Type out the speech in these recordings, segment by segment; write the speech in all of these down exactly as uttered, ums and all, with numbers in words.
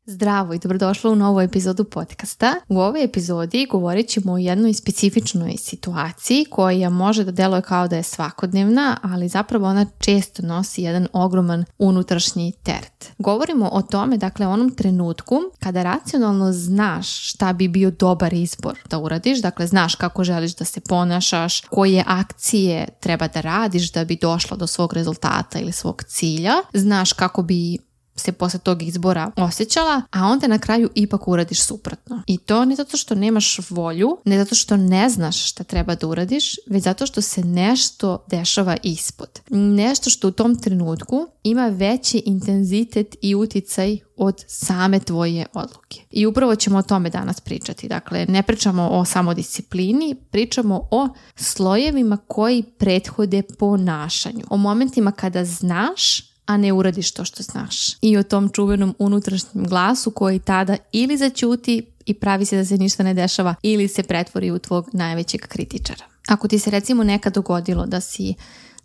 Zdravo i dobrodošla u novu epizodu podcasta. U ovoj epizodi govorit ćemo o jednoj specifičnoj situaciji koja može da deluje kao da je svakodnevna, ali zapravo ona često nosi jedan ogroman unutrašnji teret. Govorimo o tome, dakle, onom trenutku kada racionalno znaš šta bi bio dobar izbor da uradiš, dakle znaš kako želiš da se ponašaš, koje akcije treba da radiš da bi došla do svog rezultata ili svog cilja, znaš kako bi se posle tog izbora osjećala, a onda na kraju ipak uradiš suprotno. I to ne zato što nemaš volju, ne zato što ne znaš šta treba da uradiš, već zato što se nešto dešava ispod. Nešto što u tom trenutku ima veći intenzitet i uticaj od same tvoje odluke. I upravo ćemo o tome danas pričati. Dakle, ne pričamo o samodisciplini, pričamo o slojevima koji prethode ponašanju. O momentima kada znaš, a ne uradiš to što znaš. I o tom čuvenom unutrašnjem glasu koji tada ili zaćuti i pravi se da se ništa ne dešava ili se pretvori u tvog najvećeg kritičara. Ako ti se recimo nekad dogodilo da si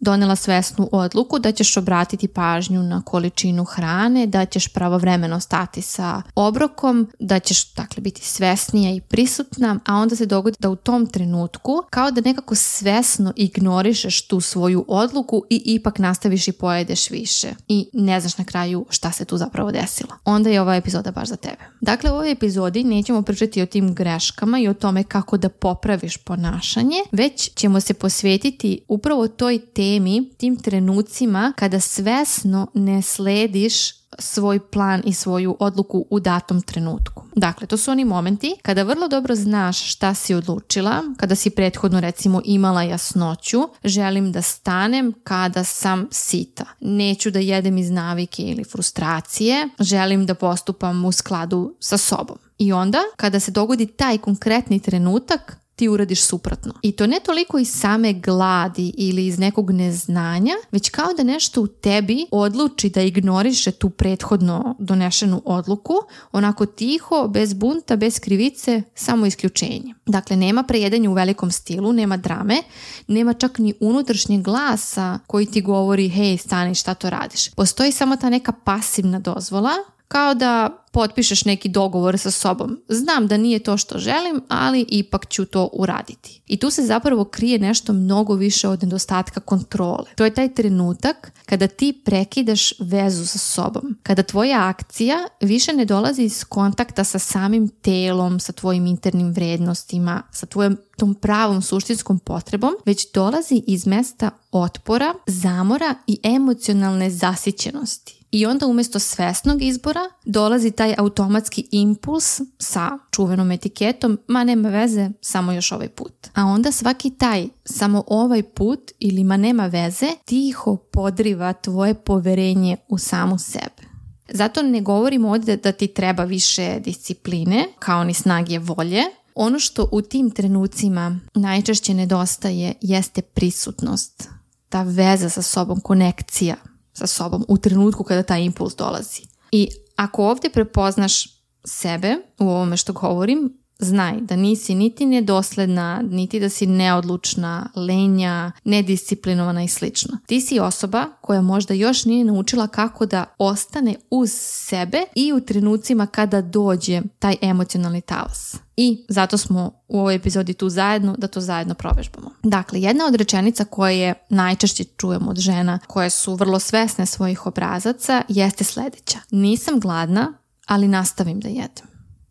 donela svesnu odluku da ćeš obratiti pažnju na količinu hrane, da ćeš pravovremeno stati sa obrokom, da ćeš dakle biti svesnija i prisutna, a onda se dogodi da u tom trenutku kao da nekako svesno ignorišeš tu svoju odluku i ipak nastaviš i pojedeš više i ne znaš na kraju šta se tu zapravo desilo. Onda je ova epizoda baš za tebe. Dakle, u ovoj epizodi nećemo pričati o tim greškama i o tome kako da popraviš ponašanje, već ćemo se posvetiti upravo toj temi, tim trenucima kada svesno ne slediš svoj plan i svoju odluku u datom trenutku. Dakle, to su oni momenti kada vrlo dobro znaš šta si odlučila, kada si prethodno recimo imala jasnoću, želim da stanem kada sam sita. Neću da jedem iz navike ili frustracije, želim da postupam u skladu sa sobom. I onda, kada se dogodi taj konkretni trenutak, ti uradiš suprotno. I to ne toliko iz same gladi ili iz nekog neznanja, već kao da nešto u tebi odluči da ignoriše tu prethodno donešenu odluku, onako tiho, bez bunta, bez krivice, samo isključenje. Dakle, nema prejedanja u velikom stilu, nema drame, nema čak ni unutrašnjeg glasa koji ti govori, hej, stani, šta to radiš. Postoji samo ta neka pasivna dozvola, kao da potpišeš neki dogovor sa sobom. Znam da nije to što želim, ali ipak ću to uraditi. I tu se zapravo krije nešto mnogo više od nedostatka kontrole. To je taj trenutak kada ti prekidaš vezu sa sobom. Kada tvoja akcija više ne dolazi iz kontakta sa samim telom, sa tvojim internim vrednostima, sa tvojom tom pravom suštinskom potrebom, već dolazi iz mesta otpora, zamora i emocionalne zasićenosti. I onda umjesto svesnog izbora dolazi taj automatski impuls sa čuvenom etiketom, ma nema veze, samo još ovaj put. A onda svaki taj samo ovaj put ili ma nema veze tiho podriva tvoje poverenje u samu sebe. Zato ne govorimo ovdje da ti treba više discipline, kao ni snage volje. Ono što u tim trenucima najčešće nedostaje jeste prisutnost, ta veza sa sobom, konekcija sa sobom u trenutku kada taj impuls dolazi. I ako ovdje prepoznaš sebe u ovome što govorim, znaj da nisi niti nedosledna, niti da si neodlučna, lenja, nedisciplinovana i slično. Ti si osoba koja možda još nije naučila kako da ostane uz sebe i u trenucima kada dođe taj emocionalni talas. I zato smo u ovoj epizodi tu zajedno, da to zajedno provežbamo. Dakle, jedna od rečenica koje najčešće čujemo od žena koje su vrlo svesne svojih obrazaca jeste sljedeća. Nisam gladna, ali nastavim da jedem.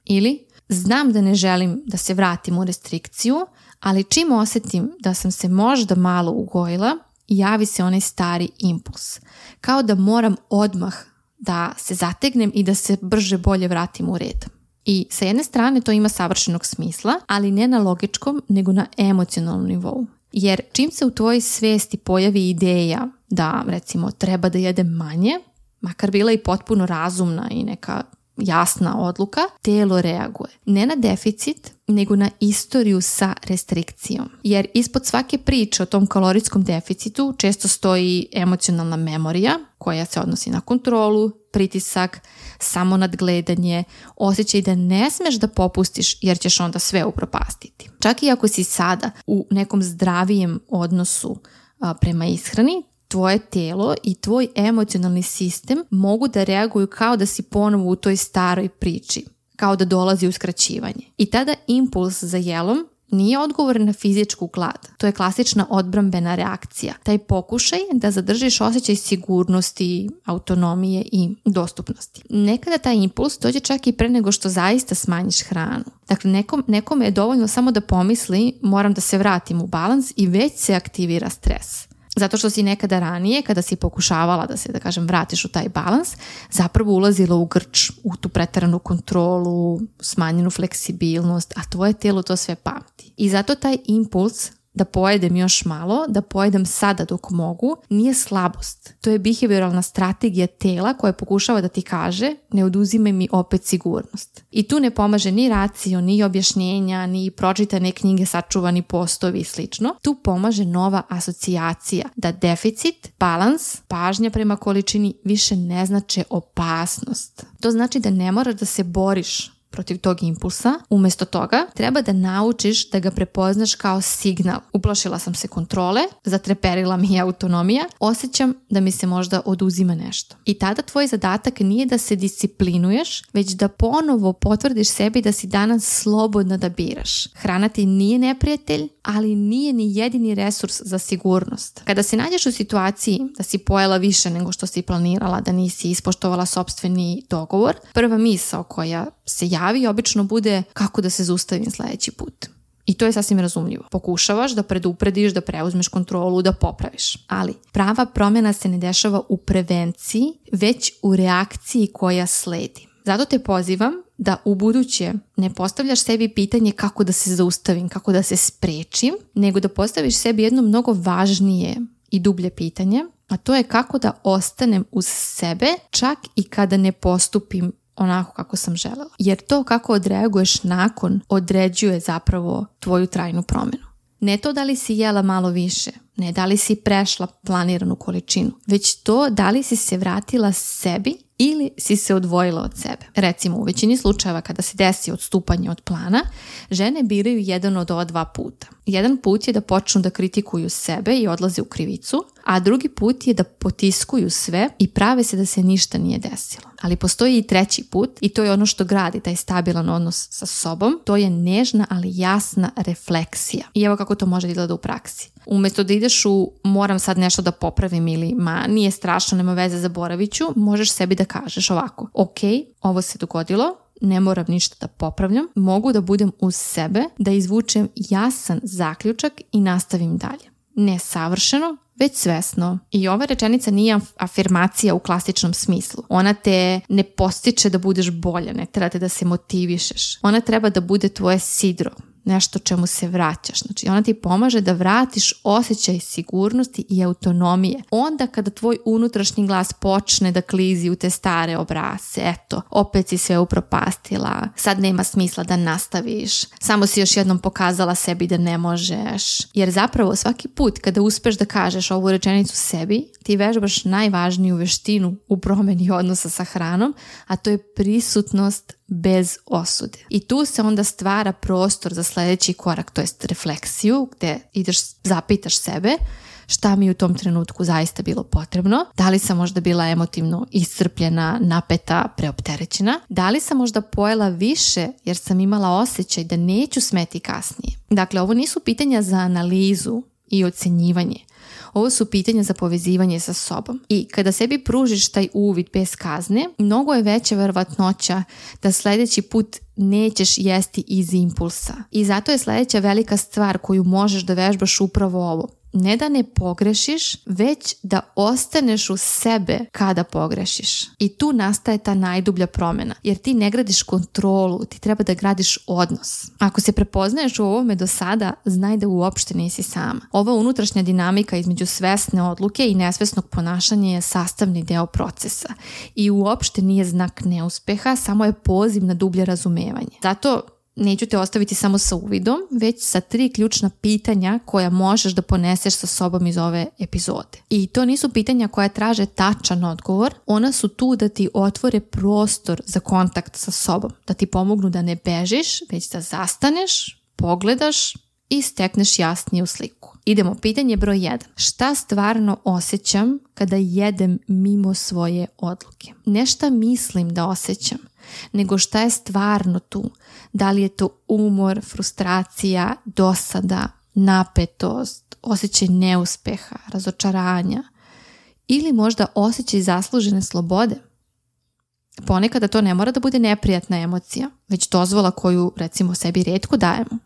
Ili znam da ne želim da se vratim u restrikciju, ali čim osjetim da sam se možda malo ugojila, javi se onaj stari impuls. Kao da moram odmah da se zategnem i da se brže bolje vratim u red. I sa jedne strane to ima savršenog smisla, ali ne na logičkom, nego na emocionalnom nivou. Jer čim se u tvojoj svijesti pojavi ideja da, recimo, treba da jedem manje, makar bila i potpuno razumna i neka jasna odluka, telo reaguje. Ne na deficit, nego na istoriju sa restrikcijom. Jer ispod svake priče o tom kalorijskom deficitu često stoji emocionalna memorija koja se odnosi na kontrolu, pritisak, samo nadgledanje, osjećaj da ne smeš da popustiš jer ćeš onda sve upropastiti. Čak i ako si sada u nekom zdravijem odnosu a, prema ishrani, tvoje telo i tvoj emocionalni sistem mogu da reaguju kao da si ponovo u toj staroj priči, kao da dolazi uskraćivanje. I tada impuls za jelom nije odgovor na fizičku glad. To je klasična odbrambena reakcija. Taj pokušaj da zadržiš osjećaj sigurnosti, autonomije i dostupnosti. Nekada taj impuls dođe čak i pre nego što zaista smanjiš hranu. Dakle, nekom, nekome je dovoljno samo da pomisli moram da se vratim u balans i već se aktivira stres. Zato što si nekada ranije, kada si pokušavala da se, da kažem, vratiš u taj balans, zapravo ulazila u grč, u tu preteranu kontrolu, smanjenu fleksibilnost, a tvoje telo to sve pamti. I zato taj impuls da pojedem još malo, da pojedem sada dok mogu, nije slabost. To je behavioralna strategija tela koja pokušava da ti kaže ne oduzimaj mi opet sigurnost. I tu ne pomaže ni racio, ni objašnjenja, ni pročitane knjige, sačuvani postovi i slično. Tu pomaže nova asocijacija da deficit, balans, pažnja prema količini više ne znače opasnost. To znači da ne moraš da se boriš protiv tog impulsa. Umjesto toga treba da naučiš da ga prepoznaš kao signal. Uplašila sam se kontrole, zatreperila mi je autonomija, osjećam da mi se možda oduzima nešto. I tada tvoj zadatak nije da se disciplinuješ, već da ponovo potvrdiš sebi da si danas slobodna da biraš. Hrana ti nije neprijatelj, ali nije ni jedini resurs za sigurnost. Kada se nađeš u situaciji da si pojela više nego što si planirala, da nisi ispoštovala sopstveni dogovor, prva misao koja se javi obično bude kako da se zaustavim sljedeći put. I to je sasvim razumljivo. Pokušavaš da preduprediš, da preuzmeš kontrolu, da popraviš. Ali prava promjena se ne dešava u prevenciji, već u reakciji koja sledi. Zato te pozivam da u buduće ne postavljaš sebi pitanje kako da se zaustavim, kako da se sprečim, nego da postaviš sebi jedno mnogo važnije i dublje pitanje, a to je kako da ostanem uz sebe čak i kada ne postupim onako kako sam želela. Jer to kako odreaguješ nakon određuje zapravo tvoju trajnu promjenu. Ne to da li si jela malo više, ne da li si prešla planiranu količinu, već to da li si se vratila sebi ili si se odvojila od sebe. Recimo, u većini slučajeva kada se desi odstupanje od plana, žene biraju jedan od ova dva puta. Jedan put je da počnu da kritikuju sebe i odlaze u krivicu, a drugi put je da potiskuju sve i prave se da se ništa nije desilo. Ali postoji i treći put i to je ono što gradi taj stabilan odnos sa sobom. To je nežna, ali jasna refleksija. I evo kako to može da izgleda u praksi. Umjesto da ideš u moram sad nešto da popravim ili ma nije strašno, nema veze, zaboravit ću, možeš sebi da kažeš ovako: ok, ovo se dogodilo, ne moram ništa da popravljam, mogu da budem uz sebe, da izvučem jasan zaključak i nastavim dalje. Ne savršeno, već svesno. I ova rečenica nije afirmacija u klasičnom smislu. Ona te ne postiče da budeš bolja, ne treba te da se motivišeš. Ona treba da bude tvoje sidro, nešto čemu se vraćaš. Znači, ona ti pomaže da vratiš osjećaj sigurnosti i autonomije. Onda kada tvoj unutrašnji glas počne da klizi u te stare obrasce, eto, opet si sve upropastila, sad nema smisla da nastaviš, samo si još jednom pokazala sebi da ne možeš. Jer zapravo svaki put kada uspeš da kažeš ovu rečenicu sebi, ti vežbaš najvažniju veštinu u promjeni odnosa sa hranom, a to je prisutnost bez osude. I tu se onda stvara prostor za sljedeći korak, to jest refleksiju, gdje ideš, zapitaš sebe šta mi u tom trenutku zaista bilo potrebno, da li sam možda bila emotivno iscrpljena, napeta, preopterećena, da li sam možda pojela više jer sam imala osjećaj da neću smeti kasnije. Dakle, ovo nisu pitanja za analizu i ocjenjivanje. Ovo su pitanja za povezivanje sa sobom. I kada sebi pružiš taj uvid bez kazne, mnogo je veća verovatnoća da sljedeći put nećeš jesti iz impulsa. I zato je sljedeća velika stvar koju možeš da vežbaš upravo ovo. Ne da ne pogrešiš, već da ostaneš u sebe kada pogrešiš. I tu nastaje ta najdublja promjena. Jer ti ne gradiš kontrolu, ti treba da gradiš odnos. Ako se prepoznaješ u ovome do sada, znaj da uopšte nisi sama. Ova unutrašnja dinamika između svesne odluke i nesvesnog ponašanja je sastavni deo procesa. I uopšte nije znak neuspeha, samo je poziv na dublje razumevanje. Zato neću te ostaviti samo sa uvidom, već sa tri ključna pitanja koja možeš da poneseš sa sobom iz ove epizode. I to nisu pitanja koja traže tačan odgovor, ona su tu da ti otvore prostor za kontakt sa sobom, da ti pomognu da ne bežiš, već da zastaneš, pogledaš i stekneš jasniju sliku. Idemo, pitanje broj jedan. Šta stvarno osjećam kada jedem mimo svoje odluke? Ne šta mislim da osjećam, nego šta je stvarno tu. Da li je to umor, frustracija, dosada, napetost, osjećaj neuspeha, razočaranja ili možda osjećaj zaslužene slobode. Ponekada to ne mora da bude neprijatna emocija, već dozvola koju recimo sebi rijetko dajemo.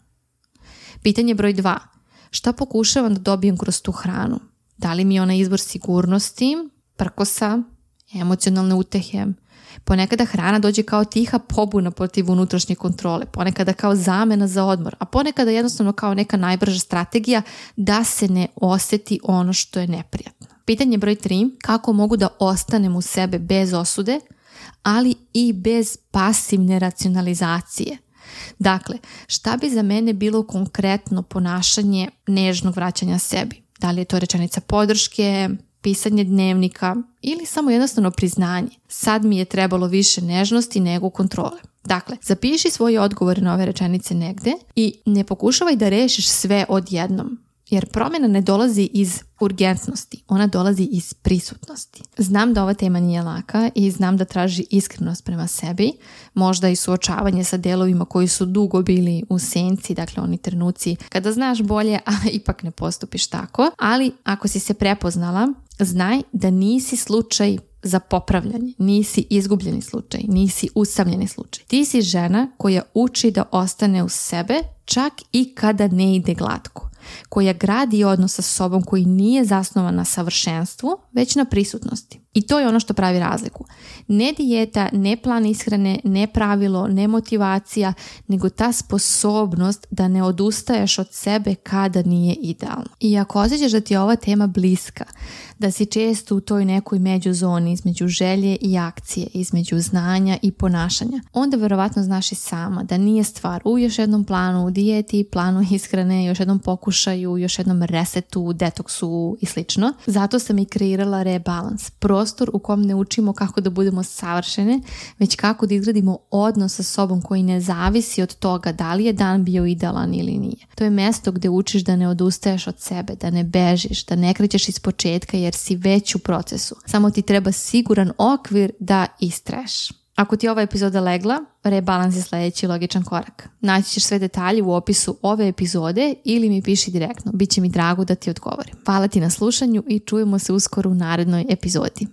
Pitanje broj dva. Šta pokušavam da dobijem kroz tu hranu? Da li mi je ona izvor sigurnosti, prkosa, emocionalne utehe? Ponekada hrana dođe kao tiha pobuna protiv unutrašnje kontrole, ponekada kao zamena za odmor, a ponekada jednostavno kao neka najbrža strategija da se ne osjeti ono što je neprijatno. Pitanje broj tri. Kako mogu da ostanem u sebe bez osude, ali i bez pasivne racionalizacije? Dakle, šta bi za mene bilo konkretno ponašanje nežnog vraćanja sebi? Da li je to rečenica podrške, pisanje dnevnika ili samo jednostavno priznanje? Sad mi je trebalo više nežnosti nego kontrole. Dakle, zapiši svoje odgovore na ove rečenice negde i ne pokušavaj da rešiš sve odjednom. Jer promjena ne dolazi iz urgentnosti, ona dolazi iz prisutnosti. Znam da ova tema nije laka i znam da traži iskrenost prema sebi, možda i suočavanje sa delovima koji su dugo bili u senci, dakle oni trenuci kada znaš bolje, a ipak ne postupiš tako. Ali ako si se prepoznala, znaj da nisi slučaj za popravljanje, nisi izgubljeni slučaj, nisi usamljeni slučaj. Ti si žena koja uči da ostane uz sebe čak i kada ne ide glatko, koja gradi odnos sa sobom koji nije zasnovan na savršenstvu, već na prisutnosti. I to je ono što pravi razliku. Ne dijeta, ne plan ishrane, ne pravilo, ne motivacija, nego ta sposobnost da ne odustaješ od sebe kada nije idealno. I ako osjećaš da ti je ova tema bliska, da si često u toj nekoj međuzoni između želje i akcije, između znanja i ponašanja, onda verovatno znaš i sama da nije stvar u još jednom planu, u dijeti, planu ishrane, još jednom pokušaju, još jednom resetu, detoksu i slično. Zato sam i kreirala rebalans, prostor u kom ne učimo kako da budemo savršene, već kako da izgradimo odnos sa sobom koji ne zavisi od toga da li je dan bio idealan ili nije. To je mesto gdje učiš da ne odustaješ od sebe, da ne bežiš, da ne krećeš iz početka jer si već u procesu. Samo ti treba siguran okvir da istraješ. Ako ti je ova epizoda legla, rebalans je sljedeći logičan korak. Naći ćeš sve detalje u opisu ove epizode ili mi piši direktno. Biće mi drago da ti odgovorim. Hvala ti na slušanju i čujemo se uskoro u narednoj epizodi.